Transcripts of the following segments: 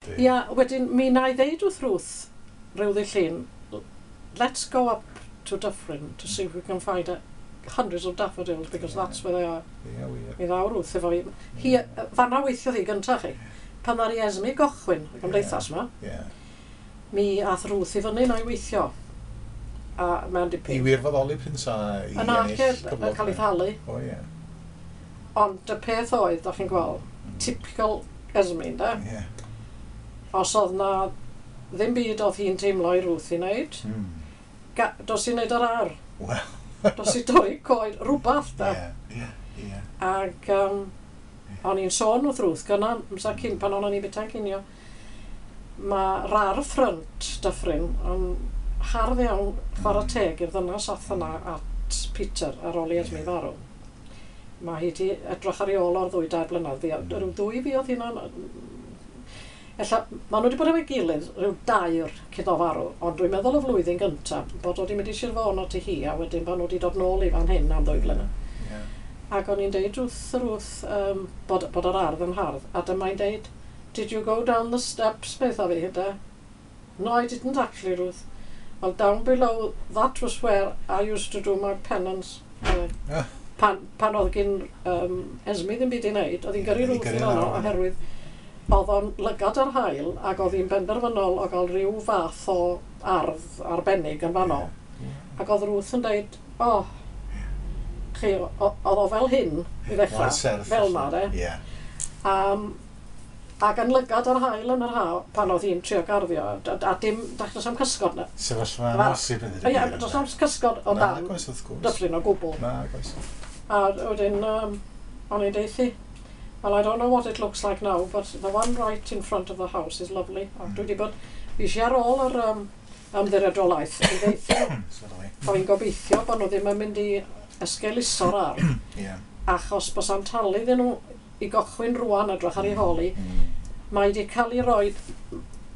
Ia, wedyn mi wna i ddeud wrth Ruth rhyw ddydd Llun, "Let's go up to Dyffryn to see if we can find hundreds of daffodils because that's where they are." Ie, wir. Mi ddaw Ruth efo fi. Hi, fanna weithiodd hi gyntaf chi. Pan ddaru Esme gochwyn y gymdeithas yma, mi ath Ruth i fyny na i weithio. A mewn I dipyn. wirfoddoli pryn sa i Yna ennill yn cyflog. cael ei thalu. O ie. Ond y peth oedd, da chi'n gweld, typical Esme, ynde? Os oedd na ddim byd oedd hi'n teimlo i Ruth i wneud, dos i wneud yr ar. Wel. Dos i dorri coed, rhywbeth da. Ie, ie, ie. Ac o'n i'n sôn wrth Ruth gynna, amser cyn pan o'n i'n bwyta'n cinio, mae rar ffrynt Dyffryn yn hardd iawn, chwarae teg i'r ddynas ath yna at Peter ar ôl i Esme farw. Mae hi wedi edrych ar ei ôl o'r 2-3 blynedd. Fi, rhyw ddwy fi oedd hi'n. Ella, maen nhw wedi bod efo'i gilydd rhyw dair cyn o farw, ond dwi'n meddwl y flwyddyn gyntaf bod o wedi mynd i Sir Fôn at hi a wedyn pan nhw wedi dod nôl i fan hyn am 2 flynedd. Ac o'n i'n deud wrth Ruth bod yr ardd yn hardd, a dyma'n deud, "Did you go down the steps?" Beth fi, hynda. "No, I didn't actually, Ruth." "Well, down below, that was where I used to do my penance." Pan oedd gyn Esme ddim byd i wneud, oedd hi'n gyrru Ie, Ruth gyrru i fanno lawr. Oherwydd oedd o'n lygad ar haul ac oedd hi'n benderfynol o gael rhyw fath o ardd arbennig yn fanno. Ac oedd Ruth yn deud, o, oh, chi, oedd o fel hyn i ddechrau, Mor serth. fel na, de. Ac yn lygad ar haul yn yr ha, pan oedd hi'n trio garddio, a dim, does am cysgod na. Sefyllfa amhosib yn Ie, does am cysgod o dan Nag oes, wrth gwrs. Dyffryn o gwbl. Nag oes. A wedyn, o'n i'n deuthi, "Well, I don't know what it looks like now, but the one right in front of the house is lovely." A dwi wedi bod, fi eisiau ar ôl yr ymddiriedolaeth i ddeuthu nhw. Sorry. O'n i'n gobeithio bod nhw ddim yn mynd i esgeuluso'r ardd, achos bos am talu iddyn nhw i gochwyn rwan edrych ar ei hôl hi, mae wedi cael ei roi,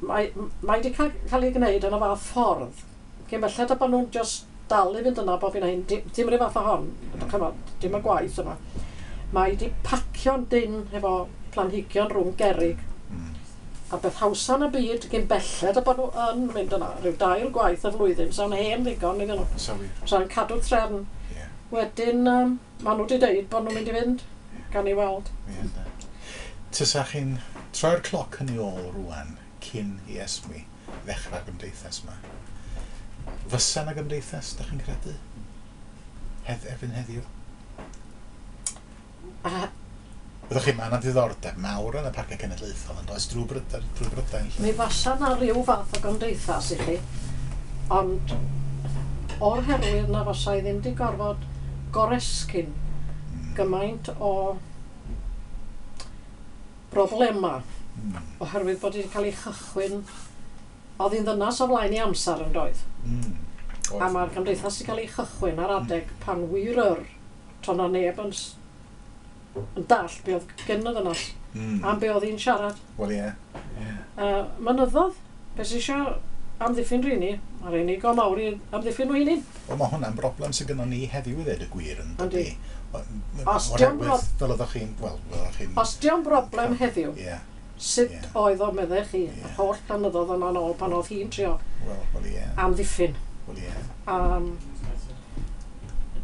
mae wedi cael ei gwneud yn y fath ffordd. Cyn belled a bod nhw'n just dal i fynd yna bob hyn a hyn, dim rhyw fath o hon, ch'mod, dim y gwaith yma. Mae wedi pacio'n dyn efo planhigion rhwng gerrig. A beth hawsa yn y byd gyn belled a bod nhw yn mynd yna, rhyw dair gwaith y flwyddyn, sa'n hen ddigon iddyn nhw. So wir. Sa'n cadw trefn. Wedyn, maen nhw wedi deud bod nhw'n mynd i fynd, gan i weld. Ie, ynde. Tysa chi'n troi'r cloc yn ei ôl rwan cyn i Esme ddechrau'r gymdeithas yma. Fysa na gymdeithas, da chi'n credu? Erbyn heddiw? A Byddwch chi, mae yna diddordeb mawr yn y Parciau Cenedlaethol yn does drwy Brydain. Mi fasa na ryw fath o gymdeithas i chi, ond o'r herwydd na fasa i ddim wedi gorfod goresgyn gymaint o broblema oherwydd bod wedi cael ei chychwyn, oedd hi'n ddynas o flaen i amser yn doedd, a mae'r gymdeithas wedi cael ei chychwyn ar adeg pan wir yr to na neb yn dallt be oedd gen y ddynas am be oedd hi'n siarad. Wel ie. Mynyddodd, beth sy'n eisiau amddiffyn rheini, mae rheini go mawr i amddiffyn nhw hunain. Wel, mae hwnna'n broblem sydd gynnon ni heddiw i ddweud y gwir yn dydi? Os dio'n Fel oeddech chi'n... Wel, fel oeddech chi'n. Os dio'n broblem heddiw, sut oedd o meddech chi, yr holl blynyddoedd yna'n ôl pan oedd hi'n trio Wel, wel ie. amddiffyn? Wel ie.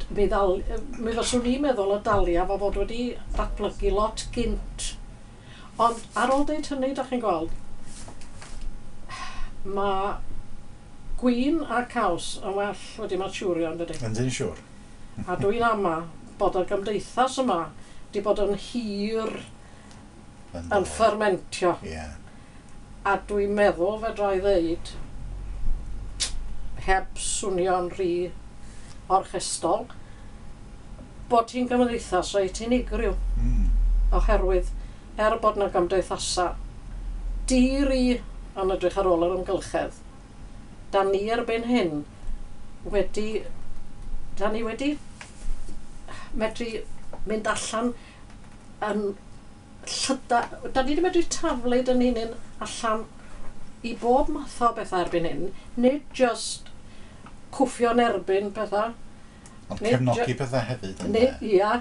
Mi fyswn i'n meddwl y dalia fo fod wedi datblygu lot gynt. Ond ar ôl deud hynny, da chi'n gweld, mae gwin a caws yn well wedi maturio, yn dydi? Yndyn siŵr. A dwi'n ama bod y gymdeithas yma wedi bod yn hir yn ffermentio. A dwi'n meddwl fedra i ddeud, heb swnio'n rhy orchestol, bod hi'n gymdeithas reit unigryw. Oherwydd, er bod na gymdeithasa di-ri yn edrych ar ôl yr amgylchedd, da ni erbyn hyn wedi, da ni wedi medru mynd allan yn llyda, da ni wedi medru taflud yn hunain allan i bob math o bethau erbyn hyn, nid just cwffio'n erbyn pethau. Ond Nid cefnogi pethau hefyd, ynde? Nid, ia.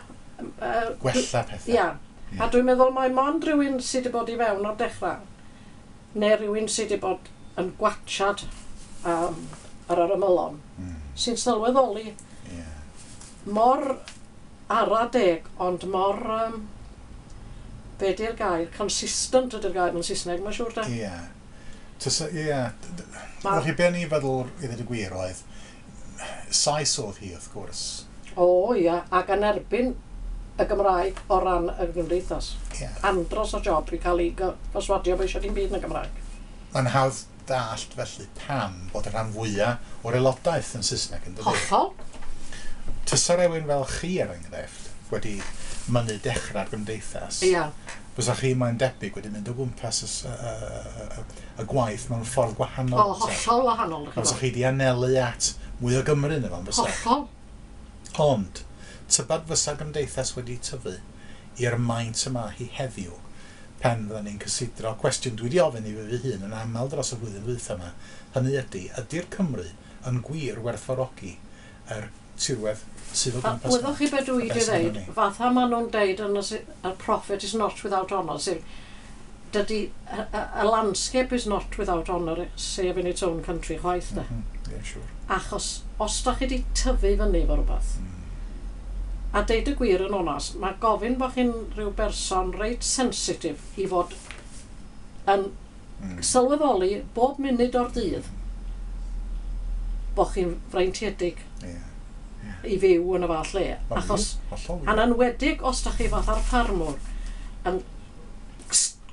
Gwella pethau. Ia. A dwi'n meddwl mai mond rhywun sydd wedi bod i fewn o'r dechrau Neu rhywun sydd wedi bod yn gwatchad ar yr ymylon, sy'n sylweddoli mor ara deg, ond mor, be di'r gair, consistent ydy'r gair yn Saesneg, mae'n siŵr de. Ie. Ie. Felly be o'n i'n feddwl i ddweud y gwir oedd, Sais oedd hi wrth gwrs. O ia, ac yn erbyn y Gymraeg o ran y gymdeithas. Andros o job i cael ei perswadio bod eisiau dim byd yn y Gymraeg. Mae'n hawdd dallt felly pam bod y rhan fwyaf o'r aelodaeth yn Saesneg, yn dydi? Hollol. Tysa rhywun fel chi, er enghraifft, wedi mynnu dechrau'r gymdeithas, fysa chi, mae'n debyg, wedi mynd o gwmpas y gwaith mewn ffordd gwahanol. O, hollol wahanol. Fysa chi wedi anelu at mwy o Gymru neu fel, fysa? Hollol. Ond, tybad fysa gymdeithas wedi tyfu i'r maint yma hi heddiw, pen fydden ni'n cysidro cwestiwn dwi wedi ofyn i fi fy hun yn aml dros y flwyddyn ddwytha yma, hynny ydy, ydy'r Cymru yn gwir werthfawrogi yr tirwedd sydd o gwmpas? Wyddoch chi beth dwi wedi dweud? Fatha maen nhw'n deud yn y prophet is not without honour, sef dydy, a landscape is not without honour, save in its own country chwaith de. Yeah, sure. Achos os da chi wedi tyfu fyny efo rhywbeth, a deud y gwir yn onast, mae gofyn bod chi'n rhyw berson reit sensitif i fod yn sylweddoli bob munud o'r dydd bod chi'n freintiedig i fyw yn y fath lle. Achos, a'n enwedig os da chi fatha'r ffarmwr yn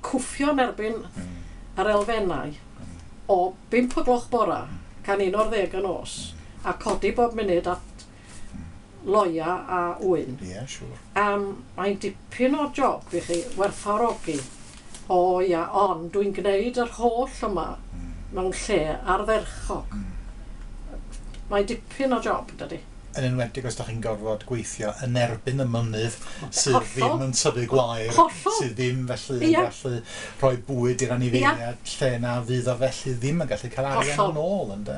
cwffio yn erbyn yr elfennau o 5 o gloch bora can 11 y nos a codi bob munud at loia a wyn. Ie, yeah, siŵr. Mae'n dipyn o job i chi werthfawrogi. O ia, ond dwi'n gwneud yr holl yma mewn lle ardderchog. Mae'n dipyn o job, dydy. Yn enwedig os da chi'n gorfod gweithio yn erbyn y mynydd sydd ddim yn tyfu gwair, sydd ddim felly yn gallu rhoi bwyd i'r anifeiliaid, lle na fydd o felly ddim yn gallu cael arian yn ôl, ynde?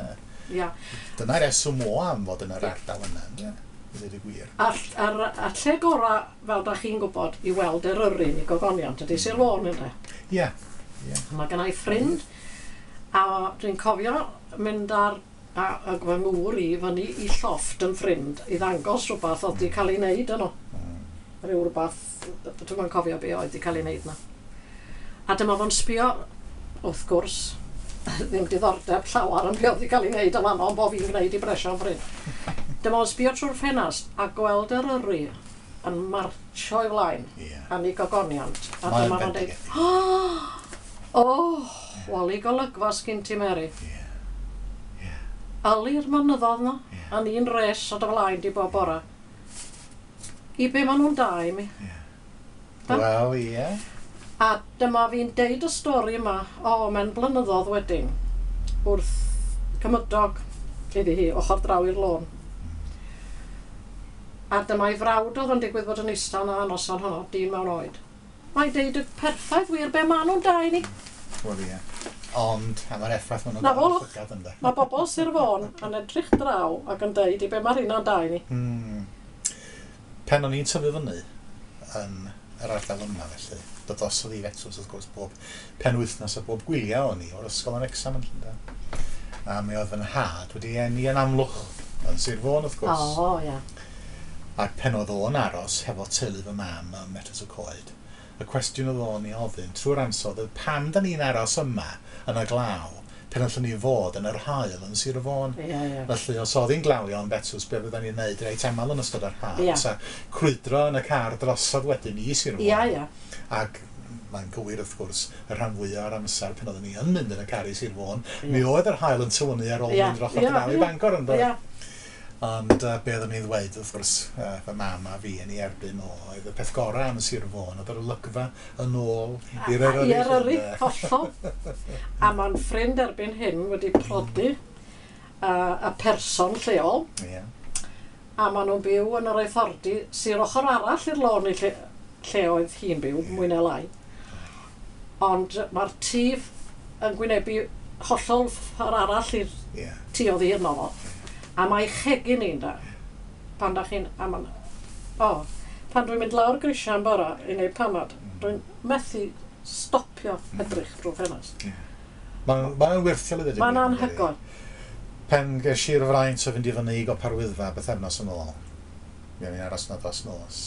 Ia. Dyna'r reswm o am fod yn yr ardal yna, ynde? I ddweud y gwir. A lle gorau, fel da chi'n gwybod, i weld Eryri i gogoniant ydy Sir Fôn, ynde? Ie. Mae gen i ffrind, a dwi'n cofio mynd ar a fy ngŵr i fyny i llofft yn ffrind i ddangos rhywbeth oedd wedi cael ei wneud yno. Rhyw rhywbeth, dwi'm yn cofio be oedd wedi cael ei wneud yna. A dyma fo'n sbio, wrth gwrs, ddim diddordeb llawer yn be oedd wedi cael ei wneud yn fanno, ond bo fi'n gwneud i bresio'n ffrind. Dyma fo'n sbio trwy'r ffenast a gweld Eryri yn marcho i flaen am ei gogoniant. A dyma fo'n dweud, oh, wali golygfa sgyn ti, Mary. Yli'r mynyddodd na, a'n un res o dy flaen di bob bora. I be maen nhw'n da i mi. Wel, ie. A dyma fi'n deud y stori yma, o, mewn blynyddoedd wedyn, wrth cymydog iddi hi, ochr draw i'r lôn. A dyma i frawd oedd yn digwydd bod yn eistedd na noson honno, dyn mewn oed. Mae'n deud y perffaith wir be maen nhw'n da i ni. Wel, ie. Ond, am yr effaith maen nhw'n gael yn llygad, ynde. Mae bobl Sir Fôn yn edrych draw ac yn deud i be mae'r hynna'n da i ni. Pen o'n i'n tyfu fyny yn yr ardal yma felly, dod drosodd i Fetws wrth gwrs bob penwythnos a bob gwyliau o'n i o'r ysgol yn Wrecsam yn Llundain. A mi oedd fy nhad wedi eni yn Amlwch yn Sir Fôn wrth gwrs. O, ia. Ac pen oedd o'n aros hefo teulu fy mam ym Metws y Coed, y cwestiwn oedd o'n i ofyn trwy'r amser oedd pam da ni'n aros yma yn y glaw pen allwn ni fod yn yr haul yn Sir Fôn. Felly os oedd hi'n glawio yn Betws, be fydden ni'n neud reit aml yn ystod yr haf? Sa crwydro yn y car drosodd wedyn i Sir Fôn. Ac mae'n gywir wrth gwrs y rhan fwyaf o'r amser pen oedden ni yn mynd yn y car i Sir Fôn, mi oedd yr haul yn tywynnu ar ôl mynd dros draw i Bangor yn dod. Ond be oeddwn ni'n ddweud wrth gwrs, fy mam a fi yn ei erbyn o, oedd y peth gorau am Sir Fôn, oedd yr olygfa yn ôl i'r Eryri. I'r Eryri, hollol. A mae'n ffrind erbyn hyn wedi prodi y person lleol. A maen nhw'n byw yn yr Aethordy, sy'r ochr arall i'r lôn i lle oedd hi'n byw, mwy neu lai. Ond mae'r tŷ yn gwynebu hollol ffordd arall i'r tŷ oedd hi yno fo. A mae chegin i'n da, pan da chi'n, pan dwi'n mynd lawr grisiau yn bora i wneud panad, dwi'n methu stopio edrych drwy'r ffenast. Mae'n wyrthiol i ddweud y gwir. Mae'n anhygoel. Pen ges i'r fraint o fynd i fyny i Gopa'r Wyddfa bythefnos yn ôl. Mi o'n i'n aros yna dros nos.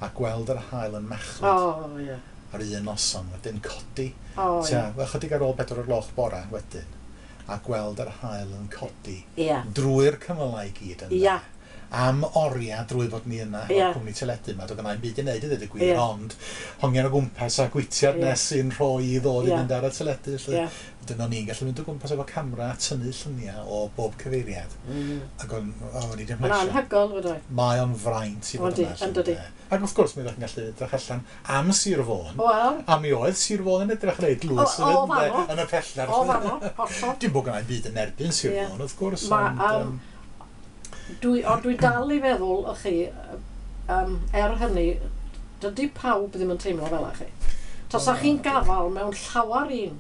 A gweld yr haul yn machlud. Oh, yeah. Ar un noson wedyn codi. Oh, Tua, yeah. Chydig ar ôl 4:00 bora wedyn. A gweld yr haul yn codi. Yeah. Drwy'r cymylau i gyd yna. Yeah. Am oriau drwy fod ni yna hefo'r cwmni teledu yma, doedd gynna i'm byd i wneud i ddweud y gwir, ond hongian o gwmpas a gwitiad nes i'n rhoi i ddod i fynd ar y teledu. Felly. Wedyn o'n i'n gallu mynd o gwmpas efo camera a tynnu lluniau o bob cyfeiriad. Ac o'n i 'di Mae'n mhlesio. anhygoel, fydde. Mae o'n fraint i fod yna. Yndi, yndi. Ac wrth gwrs, mi ydych chi'n gallu edrych allan am Sir Fôn. Wel. A mi oedd Sir Fôn yn edrych reit dlws yn y pellter. O fanno, hollol. Dim bod gynna i'm byd yn erbyn Sir Fôn, wrth gwrs. Ond dwi dal i feddwl, y chi, er hynny, dydy pawb ddim yn teimlo fel â chi. Tasa chi'n gafal mewn llawer un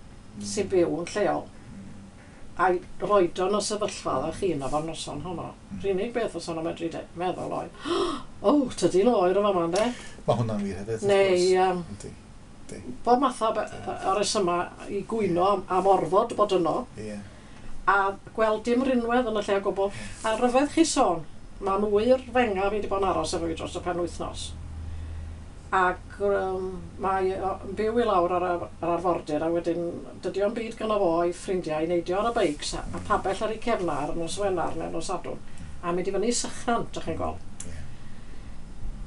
sy'n byw yn lleol, a'i roed o'n y sefyllfa dda chi yna fo'r noson honno. Yr unig beth os o'n medru meddwl oedd, o, tydi'n oer o fama, ynde? Mae hwnna'n wir hefyd. Neu, bob math o resyma i gwyno am orfod bod yno. Ie. A gweld dim rinwedd yn y lle o gwbl. A ryfedd chi sôn, mae'n ŵyr fenga fi wedi bod yn aros efo fi dros y penwythnos. Ac mae o'n byw i lawr ar yr arfordir, a wedyn dydy o'n byd gynno fo a'i ffrindiau i neidio ar y beics a pabell ar ei cefna ar nos Wener neu nos Sadwrn. A mynd i fyny Sychnant, dych chi'n gweld.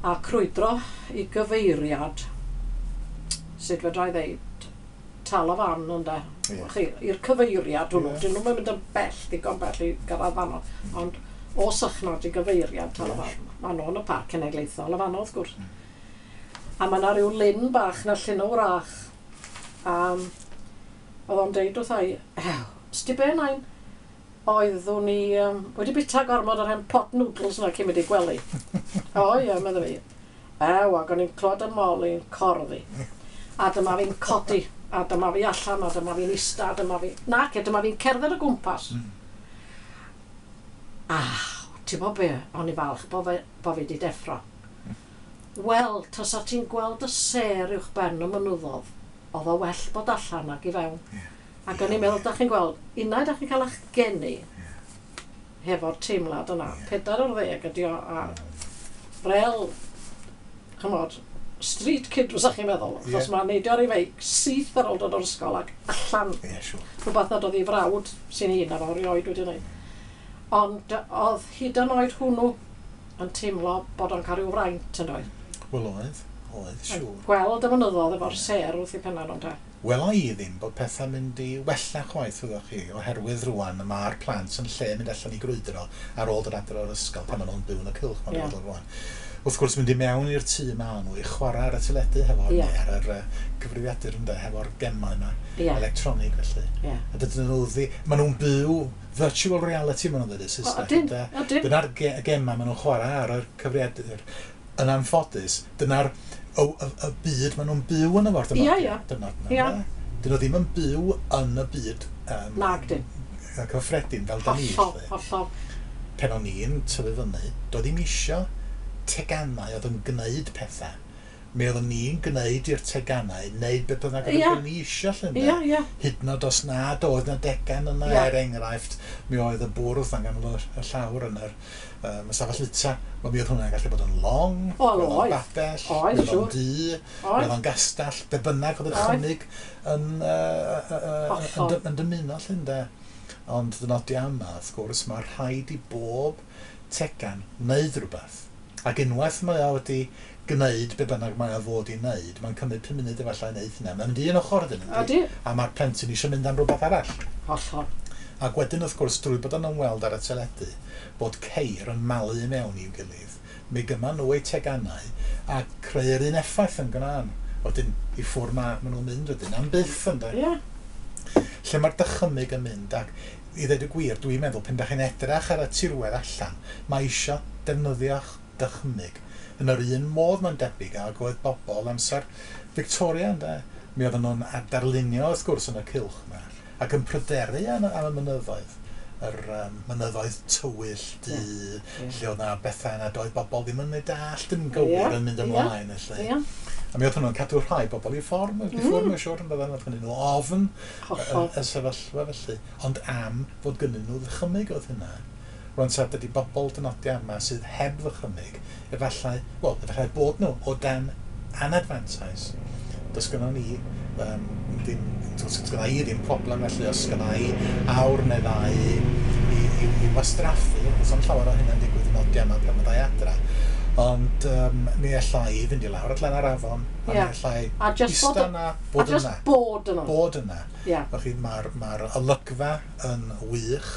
A crwydro i gyfeiriad, sut fedra i ddeud, Tal y Fan, ynde. Yeah. Chi, i'r cyfeiriad hwnnw, dyn nhw'n mynd yn bell, digon bell i gyrraedd fanno, ond o Sychnant i gyfeiriad Tal y Fan, maen nhw yn y parc cenedlaethol y fanno, wrth gwrs. A mae yna rhyw lyn bach na llyn o wrach. Oedd o'n deud wrtha i, ew, sti be nain? Oeddwn i wedi bita gormod o'r hen pot noodles yna cyn mynd i gwely. O ie, medda fi. Ew, ac o'n i'n clywed y moli'n corddi. A dyma fi'n codi. A dyma fi allan, a dyma fi'n ista, a dyma fi... Nac, dyma fi'n cerdded o gwmpas. A, ti'n bod be, o'n i falch bo fi wedi deffro. Wel, tasa ti'n gweld y sêr uwch ben y mynyddodd, oedd o well bod allan ag i fewn. Ac o'n i'n meddwl, dach chi'n gweld, unai dach chi'n cael eich geni hefo'r teimlad yna. 40 ydi o, a rel, ch'mod, street kid fysa chi'n meddwl, achos mae'n neidio ar ei feic syth ar ôl dod o'r ysgol ac allan. Ie, siŵr. Rhywbeth nad oedd ei frawd sy'n hun ar ôl erioed wedi wneud. Ond oedd hyd yn oed hwnnw yn teimlo bod o'n cael rhyw fraint yn doedd. Wel oedd, siŵr. Gweld y mynyddodd efo'r sêr wrth ei penna nhw'n te. Wela i ddim bod pethau'n mynd i wella chwaith, wyddoch chi, oherwydd rwan mae'r plant yn lle mynd allan i grwydro ar ôl dod adre o'r ysgol pan maen nhw'n byw yn y cylch, maen nhw'n meddwl rwan. Wrth gwrs, mynd i mewn i'r tŷ ma nhw i chwarae ar y teledu hefo, neu ar yr cyfrifiadur ynde, hefo'r gemau yma, electronig felly. A dydyn nhw ddi... Maen nhw'n byw virtual reality, maen nhw'n dweud yn Saesneg. Ydyn. Dyna'r gemau maen nhw'n chwarae ar y cyfrifiadur. Yn anffodus, dyna'r y byd maen nhw'n byw yn y ffordd yma. Ie, ie. Dyn nhw ddim yn byw yn y byd Nag dyn. Cyffredin fel da ni. Hollol, hollol. Pen o'n i'n tyfu fyny, doedd ddim isio teganau oedd yn gwneud pethau. Mi oeddwn ni'n gwneud i'r teganau, wneud beth bynnag oedd ni isio lle. Ie, ie. Hyd yn oed os nad oedd na degan yna, er enghraifft, mi oedd y bwrdd yn ganol y llawr yn yr ystafell fwyta. Wel, mi oedd hwnna'n gallu bod yn long, oedd o'n babell, oedd o'n dŷ, oedd o'n gastell, be bynnag oedd y chymig yn dymuno lle, ynde. Ond dynodia yma, wrth gwrs, mae rhaid i bob tegan wneud rhywbeth. Ac unwaith mae o wedi gwneud be bynnag mae o fod i wneud, mae'n cymryd 5 munud efallai i wneud hynna. Mae'n mynd i un ochr ydyn nhw. A mae'r plentyn eisiau mynd am rhywbeth arall. Hollol. Ac wedyn, wrth gwrs, drwy bod yn ymweld ar y teledu, bod ceir yn malu i mewn i'w gilydd, mi gyma nhw eu teganau a creu'r un effaith yn gwna'n. Wedyn, i ffwrdd ma nhw'n mynd wedyn, am byth ynde. Ie. Lle mae'r dychymyg yn mynd, ac i ddweud y gwir, dwi'n meddwl, pan dach chi'n edrych ar y tirwedd allan, mae eisiau defnyddio'ch dychymyg. Yn yr un modd mae'n debyg ag oedd bobl amser Victoria, ynde? Mi oedden nhw'n darlunio, wrth gwrs, yn y cylch yma, ac yn pryderu am y mynyddoedd, yr mynyddoedd tywyll, du, lle oedd 'na bethau yna, doedd bobl ddim yn ei dallt yn gywir yn mynd ymlaen, felly. A mi oedd hwnnw'n cadw rhai bobl i ffordd, i ffwrdd, mae'n siŵr, yn bydden, oedd gynnyn nhw ofn y sefyllfa felly. Ond am fod gynnyn nhw ddychymyg oedd hynna. Rwan ta, dydy bobl dynodiau yma sydd heb ddychymyg, efallai, wel, efallai bod nhw o dan anadfantais. Does gynnon ni ddim, does gynna i ddim problem felly os gynna i awr neu ddau i wastraffu, does am llawer o hynna'n digwydd yn odiau yma pan fyddai adra. Ond mi alla i fynd i lawr at lan yr afon, a mi alla i ista yna, bod yna. Bod yna. Bod yna. Felly mae'r olygfa yn wych.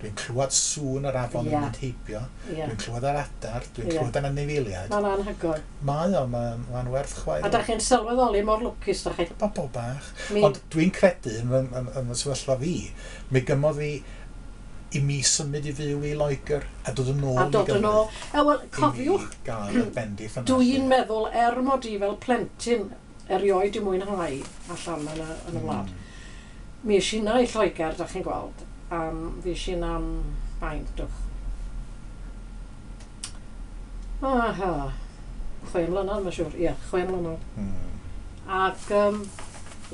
Dwi'n clywed sŵn yr afon yn mynd heibio. Dwi'n clywed yr adar, dwi'n clywed yn anifeiliaid. Mae'n anhygoel. Mae o, mae'n werth chweil. A da chi'n sylweddoli mor lwcus da chi. Bobl bach. Ond dwi'n credu yn y sefyllfa fi, mi gymodd fi i mi symud i fyw i Loegr a dod yn ôl i Gymru. A dod yn ôl. Wel, cofiwch, dwi'n meddwl mod i fel plentyn erioed i mwynhau allan yn y wlad. Mi es i yna i Lloegr, da chi'n gweld. Fi es i yna am faint, dwch. Aha, 6 mlynedd, mae'n siŵr. Ie, 6 mlynedd. Ac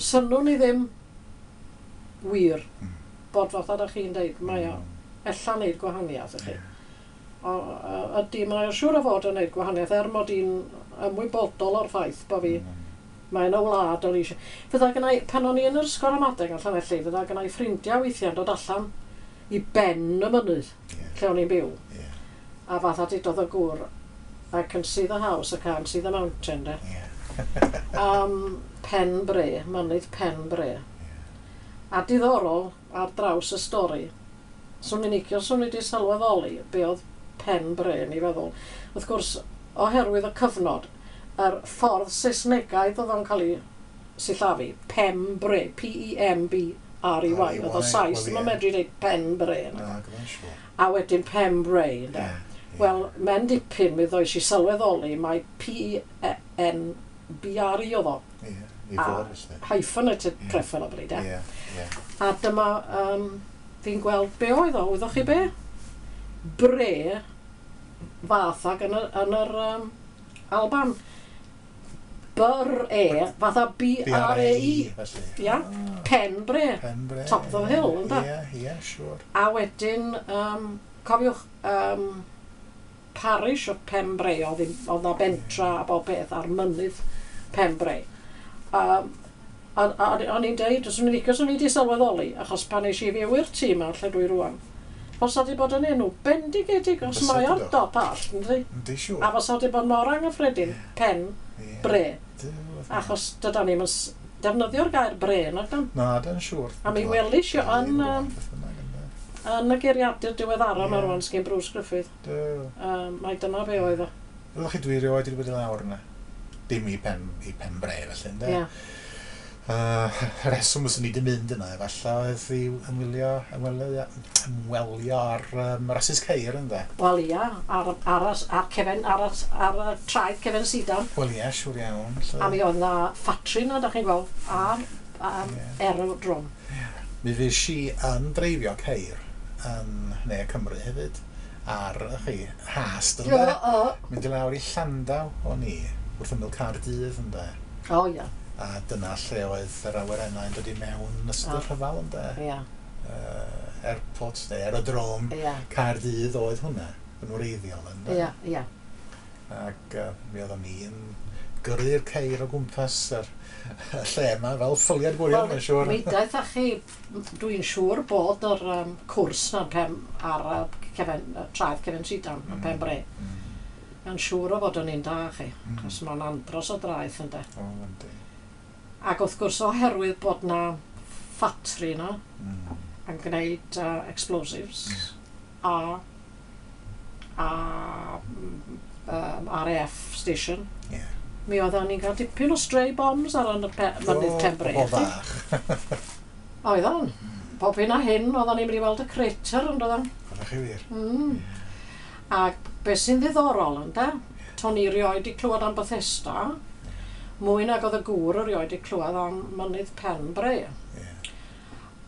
synnwn i ddim wir bod fatha da chi'n deud, mae o ella wneud gwahaniaeth i chi. Ydy, mae o'n siŵr o fod yn wneud gwahaniaeth, er mod i'n ymwybodol o'r ffaith bod fi, mae yna wlad o'n eisiau. Fydda gynna i, pan o'n i yn yr ysgol ramadeg yn Llanelli, fydda gynna i ffrindiau weithiau'n dod allan i ben y mynydd, lle o'n i'n byw. A fatha dudodd y gŵr, I can see the house, I can't see the mountain, de. Pen Bre, mynydd Pen Bre. A diddorol, ar draws y stori, swn i'n licio, swn i wedi sylweddoli be oedd Pen Bre yn ei feddwl. Wrth gwrs, oherwydd y cyfnod, yr ffordd Saesnegaidd oedd o'n cael ei sillafu, Pembre, P-E-M-B-R-E-Y, oedd o Sais, ddim yn medru dweud Pen Bre. A wedyn Pembre, ynde. Wel, mewn dipyn mi ddoes i sylweddoli mai P-E-N-B-R-E oedd o. A hyphenated preferably, de. A dyma, fi'n gweld be oedd o, wyddoch chi be? Bre fath ag yn yr Alban. B-R-E, fatha B-R-E-I. Ia, Pen Bre. Top of the hill, ynda? Ie, siŵr. A wedyn, cofiwch, parish o Pen Bre, oedd na bentra a bob peth ar mynydd Pen Bre. O'n i'n deud, os o'n i'n licio, os o'n i wedi sylweddoli, achos pan eis i fyw i'r tŷ yma, lle dwi rwan, fysa di bod yn enw bendigedig, os mae o'r dop all, yndi? Yndi, siŵr. A fysa di bod mor anghyffredin, Pen Bre. Achos dydan ni'm yn defnyddio'r gair bre, nag dan? Na, dan siŵr. A mi welis i yn y geiriadur diweddara yma rwan, sgyn Bruce Griffith. Mai dyna be oedd o. Ydych chi dwi erioed wedi bod i lawr yna? Dim i Pen Bre, felly, ynde? Ie. Rheswm fyswn i wedi mynd yna, efallai oedd i ymwelio ar rasys ceir, ynde? Wel ia, ar y traeth Cefen Sidan. Wel ia, siŵr iawn. A mi oedd na ffatri yna, da chi'n gweld, a aerodrome. Mi fues i yn dreifio ceir yn Ne Cymru hefyd, ar chi, hast, ynde? Mynd i lawr i Llandaw o'n i, wrth ymyl Caerdydd, ynde? O ia. A dyna lle oedd yr awyrennau yn dod i mewn yn ystod y rhyfel, ynde? Ia. Airport, neu aerodrome, Caerdydd oedd hwnna, yn wreiddiol, ynde? Ia, ia. Ac mi oeddwn ni yn gyrru'r ceir o gwmpas yr lle yma, fel ffyliad gwirion, mae'n siŵr. Mi daeth â chi, dwi'n siŵr bod yr cwrs na ar traeth Cefen Sidan, yn Pen Bre. Mae'n siŵr o fod yn un da chi, achos mae'n andros o draeth, ynde? O, yndi. Ac wrth gwrs oherwydd bod na ffatri yna yn gwneud explosives a RAF station, mi oedden ni'n cael dipyn o stray bombs ar y mynydd Pen Bre. O, bach. Oedden. Pob hyn a hyn, oedden ni'n mynd i weld y crater, yn doedden. Oeddech chi wir. Ac beth sy'n ddiddorol, ynde, to'n i rioed i clywed am Bethesda, mwy nag oedd y gŵr erioed i clywed am mynydd Pen Bre.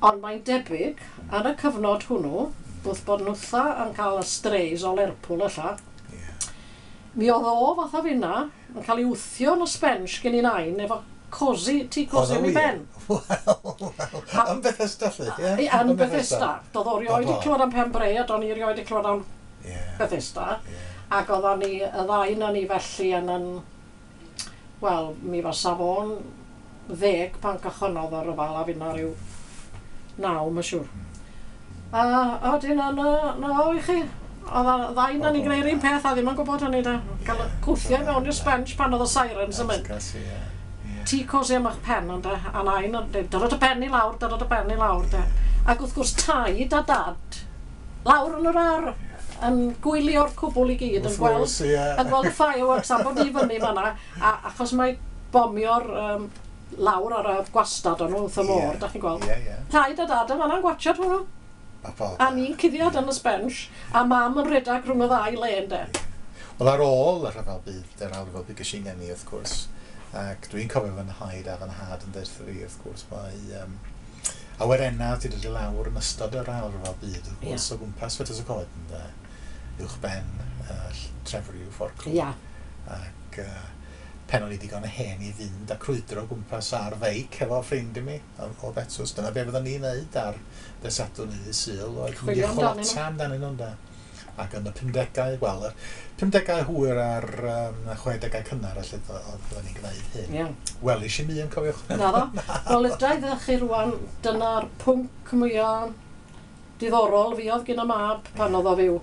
Ond mae'n debyg, yn y cyfnod hwnnw, wrth bod nhwtha yn cael y strays o Lerpwl ella, Mi oedd o fatha finna yn cael ei wthio yn y sbench gen i nain efo cosi, tea cosi am ei ben. Wel, wel, yn Bethesda, lly, ie? Yn Bethesda. Doedd o rioed i clywed am Pen-bre, a do'n i rioed i clywed am Bethesda. Ac oeddan ni, y ddau na ni felly yn, wel, mi fasa fo'n 10 pan cychwynnodd y rhyfel a finna rhyw 9, mae'n siŵr. A wedyn na, na o i chi. Oedd y ddau na ni'n gwneud yr un peth a ddim yn gwybod hynny da. Cael cwthio i mewn i'r sbench pan oedd y sirens yn mynd. Tea cosi am eich pen ond a nain yn dweud, "Dyro dy ben i lawr, dyro dy ben i lawr," de. Ac wrth gwrs taid a dad, lawr yn yr ar, yn gwylio'r cwbl i gyd, yn gweld, yn gweld y fireworks am bod i fyny fanna, a achos mae bomio'r lawr ar y gwastad o'n nhw wrth y môr, da chi'n gweld. Ie, ie. Taid a dad yn fanna'n gwatchad hwnnw. A ni'n cuddiad yn y sbench, a mam yn rhedeg rhwng y ddau le, ynde. Wel, ar ôl y rhyfel byd, yr ail ryfel byd ges i'n ngeni, wrth gwrs, ac dwi'n cofio fy nhaid a fy nhad yn deud fi, wrth gwrs, mae awyrenna wedi dod i lawr yn ystod yr ail ryfel byd, wrth gwrs, o gwmpas Fetws y Coed, ynde, uwch ben Trefriw, Fforclw. Ac pen o'n i digon hen i fynd a crwydro o gwmpas ar feic efo ffrind i mi o Betws. Dyna be fyddwn ni'n neud ar ddydd Sadwrn neu ddydd Sul, oedd mynd i Chwilio amdanyn nhw. chwilota amdanyn nhw, ynde. Ac yn y 50au, wel, y 50au hwyr a'r 60au cynnar, felly, oedd oedden ni'n gwneud hyn. Welish i'm un, cofiwch. Naddo. Wel, ydra i ddech chi rwan, dyna'r pwnc mwyaf diddorol fi oedd gen y mab pan oedd o fyw.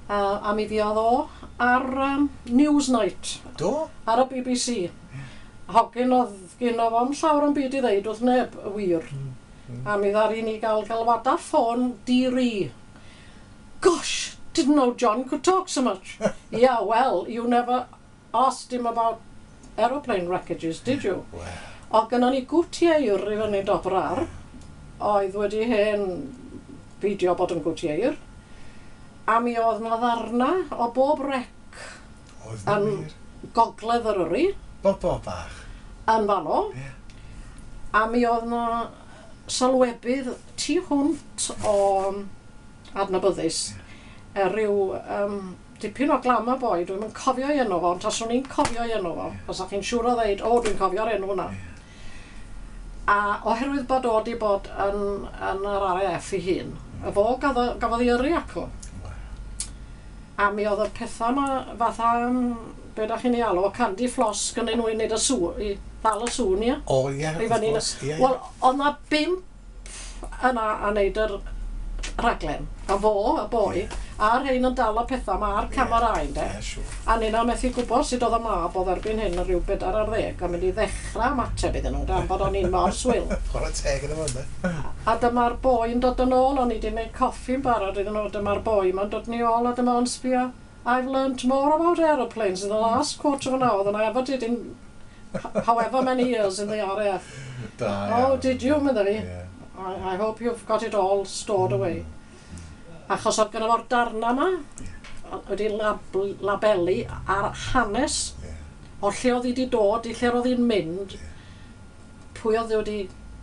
A mi fuodd o ar Newsnight. Do? Ar y BBC. Hogyn oedd gynno fo'm llawer o'm byd i ddeud wrth neb, y wir. A mi ddaru ni gael galwada ffôn di-ri. "Gosh, didn't know John could talk so much." "Yeah, well, you never asked him about aeroplane wreckages, did you?" Wel. Oedd gynnon ni gwtieir i fyny dop yr ar, oedd wedi hen beidio bod yn gwtieir. A mi oedd na ddarna o bob wreck Oedd na yn wir. gogledd Eryri. Bob bach. Yn fanno. A mi oedd na sylwebydd tu hwnt o adnabyddus. Rhyw dipyn o glamour boy, dwi'm yn cofio ei enw fo, ond taswn i'n cofio ei enw fo, fysa chi'n siŵr o ddeud, "O, dwi'n cofio'r enw hwnna." A oherwydd bod o wedi bod yn yr RAF ei hun, y fo gafodd ei yrru acw. A mi oedd y pethau yma fatha, be da chi'n ei alw, candy floss gynnyn nhw i wneud y sŵ, i ddal y sŵn, ia? O, ie, I wrth fyny gwrs, ie, ie. Wel, oedd na 5 yna a wneud yr rhaglen. A fo, y boi, a'r rhain yn dal y pethau yma a'r camerâu, ynde. Ie, siŵr. A nina methu gwybod sut oedd y mab oedd erbyn hyn yn rhyw 40 a mynd i ddechrau ymateb iddyn nhw, dan bod o'n un mor swil. Chwarae teg iddo fo, ynde? A dyma'r boi yn dod yn ôl, o'n i wedi gwneud coffi'n barod iddyn nhw, dyma'r boi ma'n dod ni ôl a dyma o'n sbio, "I've learnt more about aeroplanes in the last quarter of an hour than I ever did in however many years in the RAF." Da "Oh, iawn. did you?" medda fi. I hope you've got it all stored away." Achos oedd gynno fo'r darna yma, wedi labelu ar hanes o lle oedd hi wedi dod i lle oedd hi'n mynd, pwy oedd wedi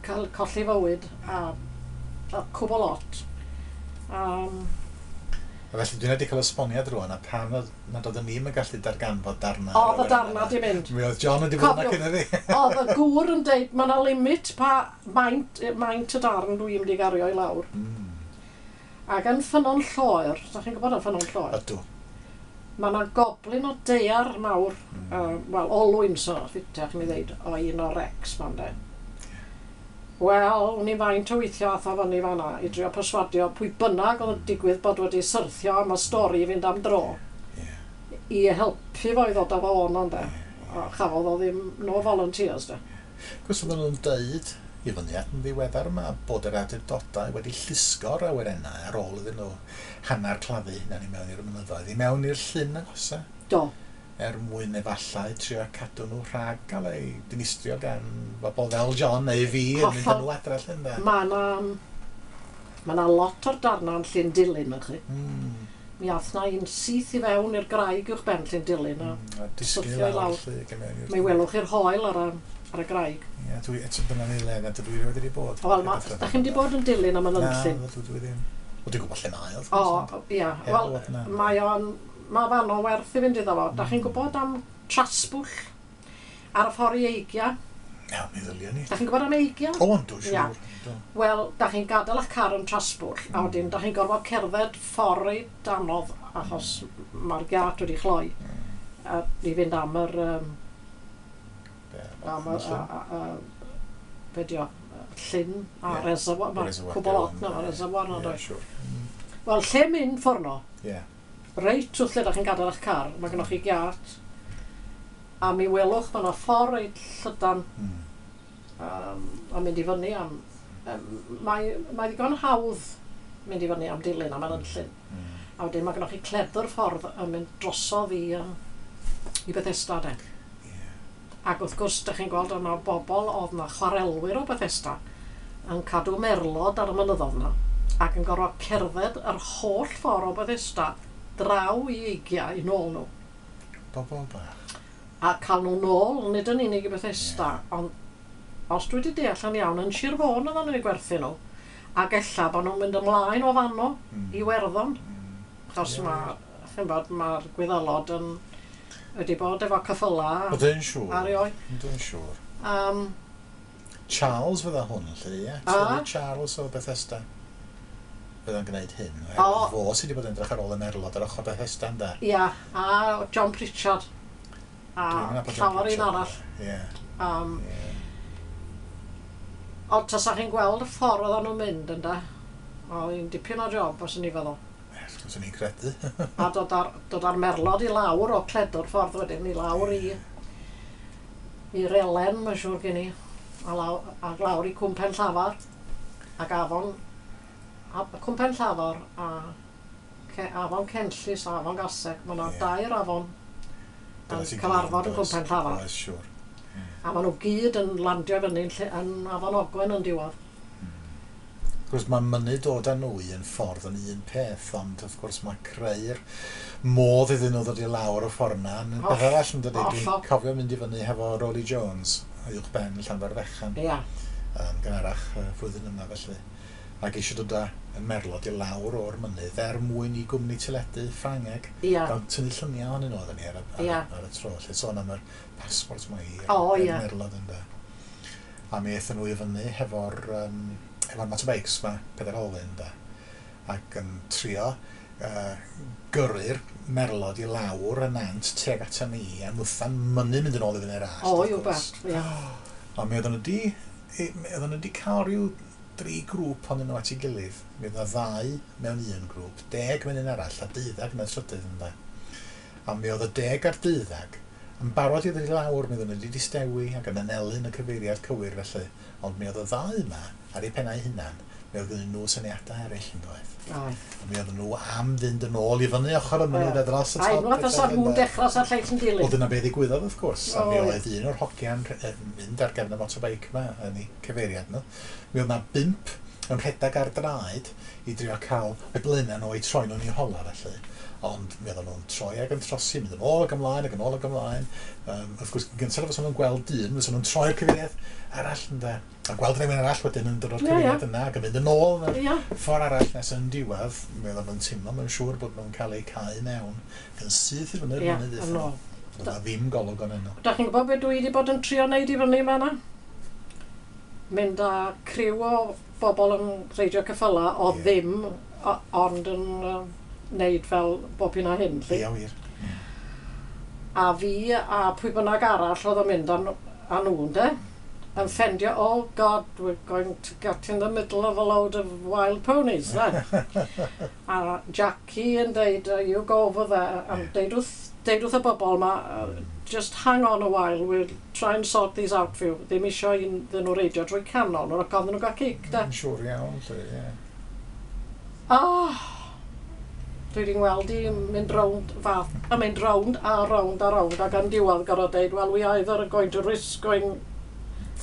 cael colli fywyd a cwbl lot. A felly dwi'n wedi cael esboniad rwan a pam nad oedden ni'm yn gallu darganfod darna. Oedd y darna di mynd. Mi oedd John wedi bod yna Cofiwch, cyn i fi. Oedd y gŵr yn deud, mae yna limit pa maint y darn dwi'n mynd i gario i lawr. Ac yn Ffynnon Lloer, da chi'n gwybod yn Ffynnon Lloer? Ydw. Mae yna goblin o daear mawr, wel, olwyn so, ffitach mi ddeud, o un o'r wrecs ma'n de. Wel, wn i faint o weithio ath o fyny fan'na i drio perswadio pwy bynnag oedd yn digwydd bod wedi syrthio am y stori i fynd am dro. I helpu fo i ddod â fo o'na, ynde. A chafodd o ddim, no volunteers, de. Cos oedden nhw'n deud i fyny at yn ddiweddar yma bod yr awdurdodau wedi llusgo'r awyrennau ar ôl iddyn nhw hanner claddu hunan i mewn i'r mynyddoedd, i mewn i'r llyn agosa. Do. Er mwyn efallai trio cadw nhw rhag gael eu dinistrio gan bobl fel John neu fi yn mynd â nhw adre llyn de. Mae 'na ma' 'na lot o'r darna yn Llyn Dilyn, ych chi. Mi ath na un syth i fewn i'r graig uwch ben Llyn Dilyn a A disgyn i syrthio i lawr lawr. lly, ac i mewn i'r Mi welwch chi'r hoel ar y graig. Ie, dwi, eto dyna ni le, na dwi rioed wedi bod. Wel, da chi'n di bod yn Dilyn am y Na, nynllun? dwi ddim. Wel, dwi'n gwybod lle mae, wrth O, gwrs, ia. Heb Wel, fod, na. mae o'n Mae fanno werth i fynd iddo fo. Da chi'n gwybod am Trasbwll ar y ffordd i Eigia? Na, mi ddylia ni. Da chi'n gwybod am Eigia? O, yndw, Ia. siŵr. Yndw. Wel, da chi'n gadael eich car yn Trasbwll, a wedyn da chi'n gorfod cerdded ffordd reit anodd achos mae'r giat wedi chloi. A i fynd am yr... Be, am y... llyn? Be di o? Llyn a Ie. reservoir. Mae Reservoir cwbl lot Dillon, na, ie. reservoir na, Ie, does. siŵr. Wel, lle mynd ffordd no? Ie. Reit wrth lle da chi'n gadael eich car, mae gennych chi giat. A mi welwch, mae yna ffordd reit llydan a mynd i fyny am... Mae ddigon hawdd mynd i fyny am Dilyn am Enllyn. A wedyn mae gennych chi cledr ffordd yn mynd drosodd i Bethesda de. Ac wrth gwrs, da chi'n gweld yna bobl oedd na chwarelwyr o Bethesda yn cadw merlod ar y mynyddodd yna ac yn gorfod cerdded yr holl ffordd o Bethesda draw i Eigia i nôl nhw. Bobl bach. A cael nhw nôl, nid yn unig i Bethesda, ond os dwi wedi deall yn iawn, yn Sir Fôn oedden nhw'n eu gwerthu nhw, ac ella bod nhw'n mynd ymlaen o fanno i Werddon, achos mae, chi'n bod, mae'r Gwyddelod yn wedi bod efo ceffyla O, dwi'n siŵr. ar ei oed. Dwi'n siŵr. Charles fydda hwn, lle, ie? A? Teulu Charles o Bethesda. Fydda'n gwneud hyn. O. Oherwydd fo sydd wedi bod yn edrych ar ôl y merlod ar ochr Bethesda, ynda? Ia, a John Pritchard. A Dwi'm yn nabod John llawer un Pritchard. arall. Ie. Ie. Ond tasa chi'n gweld y ffordd oedden nhw'n mynd, ynda? Oedd hi'n dipyn o job, os yn i feddwl. Swn i'n credu. A dod ar merlod i lawr o cledwr ffordd wedyn, i lawr i'r Elen, mae'n siŵr gen i, a lawr i Cwm Pen Llafar, ac afon, a, Cwm Pen Llafar a afon Cenllys a afon Gaseg, mae yna dair afon Dyna yn sy'n cyfarfod yn oes. Cwm Pen Llafar. Oes, siŵr. A maen nhw gyd yn landio fyny yn afon Ogwen yn diwedd. Wrth gwrs, mae mynnu dod â nhw i un ffordd yn un peth, ond wrth gwrs mae creu'r modd iddyn nhw ddod i lawr y ffordd yna yn beth arall yn dydi. Dwi'n cofio mynd i fyny hefo Rolly Jones, uwch ben Llanfairfechan, yn gynharach flwyddyn yma felly. Ac eisiau dod â y merlod i lawr o'r mynydd er mwyn i gwmni teledu Ffrangeg gael tynnu lluniau ohonyn nhw oedden ni ar y tro. Lle sôn am yr passport yma i'r merlod ynde. A mi aethon nhw i fyny hefo'r motorbikes ma, pedair olwyn ynde. Ac yn trio gyrru'r merlod i lawr y nant tuag ata ni a nwtha'n mynnu mynd yn ôl i fyny'r allt. O, wrth you gwrs. bet, ia. Ond mi oedden nhw wedi cael rhyw dri grŵp ohonyn nhw at ei gilydd. Mi oedd yna ddau mewn un grŵp, 10 mewn un arall a 12 mewn trydydd ynde. A mi oedd y 10 a'r 12 yn barod i ddod i lawr, mi oedden nhw wedi distewi ac yn anelu yn y cyfeiriad cywir felly. Ond mi oedd y ddau yma ar eu pennau hunan, mi oedd gennyn nhw syniadau eraill yn doedd. A mi oedden nhw am fynd yn ôl i fyny ochr y mynydd a dros y A top. unwaith os o'n nhw'n dechrau sa'r lleill yn Wel, dilyn. dyna be ddigwyddodd, wrth gwrs. A mi O, ie. oedd un o'r hogiau'n mynd ar gefn y motorbike yma yn eu cyfeiriad nhw. Mi oedd na 5 yn rhedeg ar draed i drio cael y blaenau nhw i troi nhw'n eu hola felly. Ond mi oedden nhw'n troi ac yn trosi, mynd yn ôl ac ymlaen ac yn ôl ac ymlaen. Wrth gwrs, gyntaf fysa nhw'n gweld dyn, fysa nhw'n troi'r cyfeiriad arall ynde. A gweld rhywun arall wedyn yn dod o'r cyfeiriad yna ac yn mynd yn ôl yn y ffordd arall nes yn diwedd, mi oedden nhw'n teimlo, mae'n siŵr bod nhw'n cael eu cau mewn ac yn syth i fyny'r Ia, mynydd yn aethon nhw. ôl. Doedd 'na ddim golwg ohonyn nhw. Da chi'n gwybod beth dwi wedi bod yn trio neud i fyny yma na? Mynd â criw o bobl yn reidio ceffyla o ddim, ond yn neud fel bob hyn a hyn. 'lly. Ia, wir. A fi a pwy bynnag arall oedd yn mynd â nhw, ynde? Yn ffendio, oh God, we're going to get in the middle of a load of wild ponies, ne? A Jackie yn deud, you go over there, and deud wrth y bobl ma, just hang on a while, we'll try and sort these out for you. Ddim isio iddyn nhw reidio drwy canol, nhw'n ac oedden nhw gael cic, de. Yn siŵr iawn, lle, ie. Ah, dwi wedi ngweld i mynd rownd fath, a mynd rownd a rownd a rownd ac yn diwedd gorfod deud, well, we either are going to risk going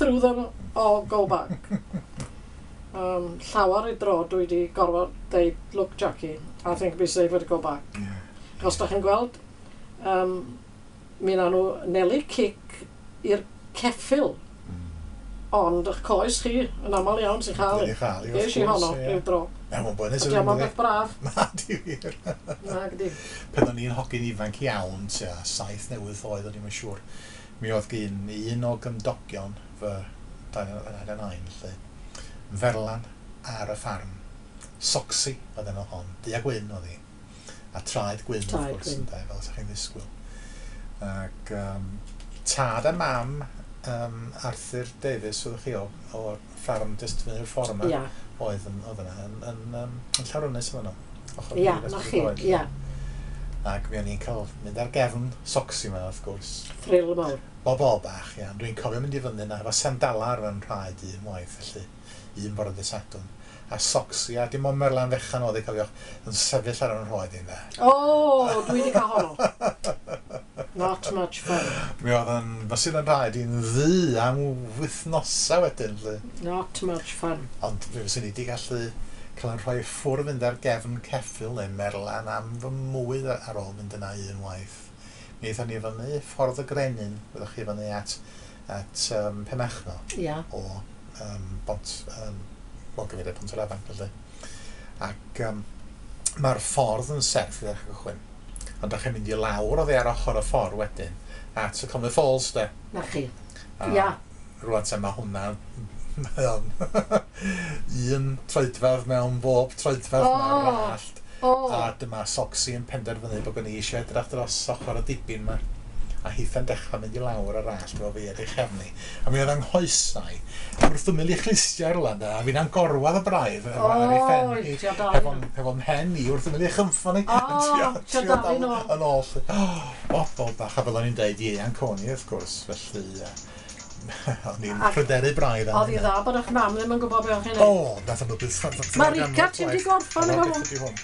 through them or go back. Llawer i dro dwi wedi gorfod deud, look Jackie, I think it'd be safer to go back. Os da chi'n gweld, mi na nhw nelu cic i'r ceffyl. Ond eich coes chi, yn aml iawn sy'n chael i. Chael i, wrth gwrs. Honno, ryw dro. Na, mae'n boenus. Ydy, mae'n beth braf. Na, di wir. Na, gdi. Pan o'n i'n hogyn ifanc iawn, tua 7 neu 8 oed, o'n i'n siŵr, mi oedd gyn un o gymdogion fy nain a nain, lle, ferlan ar y ffarm. Soxy oedd enw hon, du a gwyn oedd hi. A traed gwyn, wrth gwrs, ynde, fel ydych chi'n ddisgwyl. Ac tad a mam Arthur Davies, oeddech chi o'r ffarm jyst fyny'r ffordd yma, yeah. Oedd yna, yn Llanrwnnys oedd yno. Ia, na chi, ia. Ac mi o'n i'n cael mynd ar gefn Soxy yma, wrth gwrs. Thrill mawr. Bobol bach, ia. Dwi'n cofio mynd i fyny yna efo sandala ar fy nhraed un waith, felly, un bore dydd Sadwrn. A Soxy, a dim ond merlan fechan oedd ei cofiwch, yn sefyll ar yn rhoed i'n dde. O, dwi wedi cael honno. Not much fun. Mi oedd yn, fysydd yn rhaid i'n ddu am wythnosau wedyn. Lle. Not much fun. Ond fe fyswn i wedi gallu cael yn rhoi ffwrdd fynd ar gefn ceffyl neu merlan am fy mwy ar ôl mynd yna un waith. Mi aethon ni fyny ffordd y Grenyn, byddwch chi fyny at Penmachno. Yeah. O bont, wel, gyfeiriad Pont yr Afan, felly. Ac mae'r ffordd yn serth i ddechrau cychwyn. Ond dach chi'n mynd i lawr oddi ar ochr y ffordd wedyn at y Conwy Falls, de. Na chi. Ia. Rwan te mae hwnna, mae o'n un troedfedd mewn bob troedfedd mae'r rallt. A dyma Soxy yn penderfynu bod gen i eisiau edrych dros ochr y dibyn yma. A hitha'n dechrau mynd i lawr yr allt efo fi ar ei chefni. A mi oedd anghoesau wrth ymyl i chlustiau rwla, a fi'n angorwadd y braidd ar ei phen hi, hefo'n mhen i wrth ymyl i chynffon i. O, tio dal yn ôl. Bobol bach, a fel o'n i'n deud, ieuan coni, wrth gwrs, felly o'n i'n pryderu braidd. Oedd hi dda bod eich mam ddim yn gwybod beth o'ch chi'n neud. O, nath nhw byth. Marika, ti'n di gorffan efo hwn?